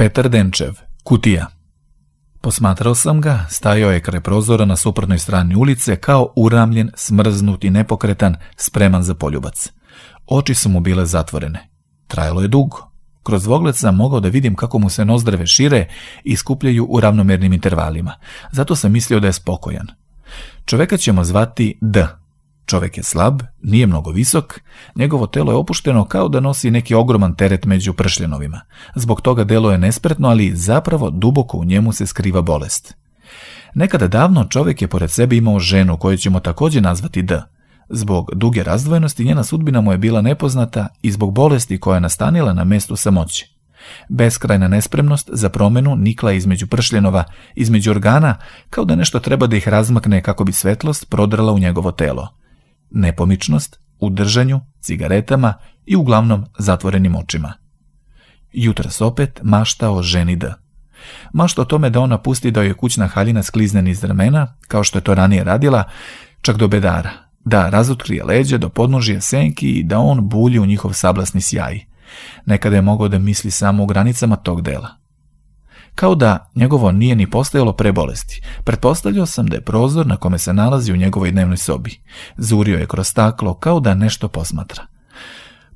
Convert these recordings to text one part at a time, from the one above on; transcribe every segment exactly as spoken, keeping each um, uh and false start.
Petar Denčev, Kutija. Posmatrao sam ga, stajao je kraj prozora na suprotnoj strani ulice kao uramljen, smrznut i nepokretan, spreman za poljubac. Oči su mu bile zatvorene. Trajalo je dugo. Kroz dvogled sam mogao da vidim kako mu se nozdrve šire i skupljaju u ravnomernim intervalima. Zato sam mislio da je spokojan. Čoveka ćemo zvati D. Čovek je slab, nije mnogo visok, njegovo telo je opušteno kao da nosi neki ogroman teret među pršljenovima. Zbog toga delo je nespretno, ali zapravo duboko u njemu se skriva bolest. Nekada davno čovek je pored sebe imao ženu koju ćemo također nazvati D. Zbog duge razdvojenosti njena sudbina mu je bila nepoznata i zbog bolesti koja je nastanila na mestu samoće. Beskrajna nespremnost za promenu nikla između pršljenova, između organa, kao da nešto treba da ih razmakne kako bi svetlost prodrala u njegovo telo. Nepomičnost u držanju, cigaretama i uglavnom zatvorenim očima. Jutros opet mašta o ženi D. Mašta o tome da ona pusti da joj kućna haljina sklizne niz ramena, kao što je to ranije radila, čak do bedara, da razotkrije leđa do podnožja senki i da on bulji u njihov sablasni sjaj. Nekada je mogao da misli samo u granicama tog dela. Kao da njegovo nije ni postojalo pre bolesti. Pretpostavljao sam da je prozor na kome se nalazi u njegovoj dnevnoj sobi. Zurio je kroz staklo kao da nešto posmatra.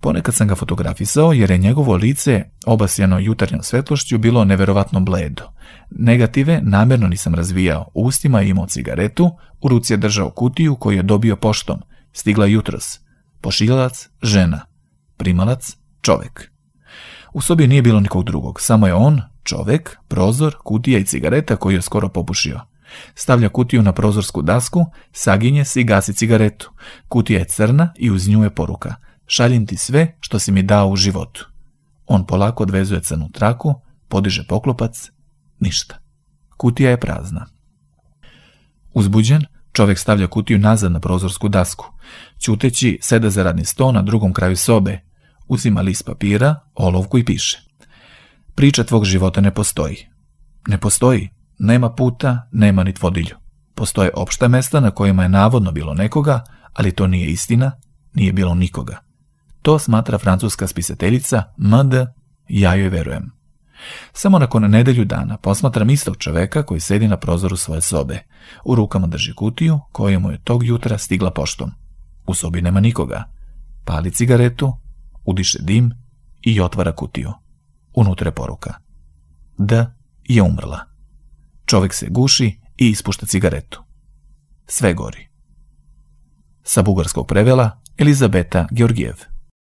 Ponekad sam ga fotografisao jer je njegovo lice, obasjano jutarnjom svetlošću, bilo neverovatno bledo. Negative namjerno nisam razvijao. U ustima je imao cigaretu, u ruci je držao kutiju koju je dobio poštom. Stigla jutros. Pošiljac, žena. Primalac, čovek. U sobi nije bilo nikog drugog, samo je on, čovek, prozor, kutija i cigareta koju je skoro popušio. Stavlja kutiju na prozorsku dasku, saginje se i gasi cigaretu. Kutija je crna i uz nju je poruka: šaljem ti sve što si mi dao u životu. On polako odvezuje crnu traku, podiže poklopac, ništa. Kutija je prazna. Uzbuđen, čovek stavlja kutiju nazad na prozorsku dasku. Ćuteći seda za radni sto na drugom kraju sobe. Uzima list papira, olovku i piše: priča tvog života ne postoji. Ne postoji. Nema puta, nema ni vodilju. Postoje opšta mesta na kojima je navodno bilo nekoga, ali to nije istina, nije bilo nikoga. To smatra francuska spisateljica M D, ja joj verujem. Samo nakon nedelju dana posmatram istog čoveka koji sedi na prozoru svoje sobe. U rukama drži kutiju koja mu je tog jutra stigla poštom. U sobi nema nikoga. Pali cigaretu, udiše dim i otvara kutiju. Unutra je poruka: D je umrla. Čovek se guši i ispušta cigaretu. Sve gori. Sa bugarskog prevela Elizabeta Georgijev.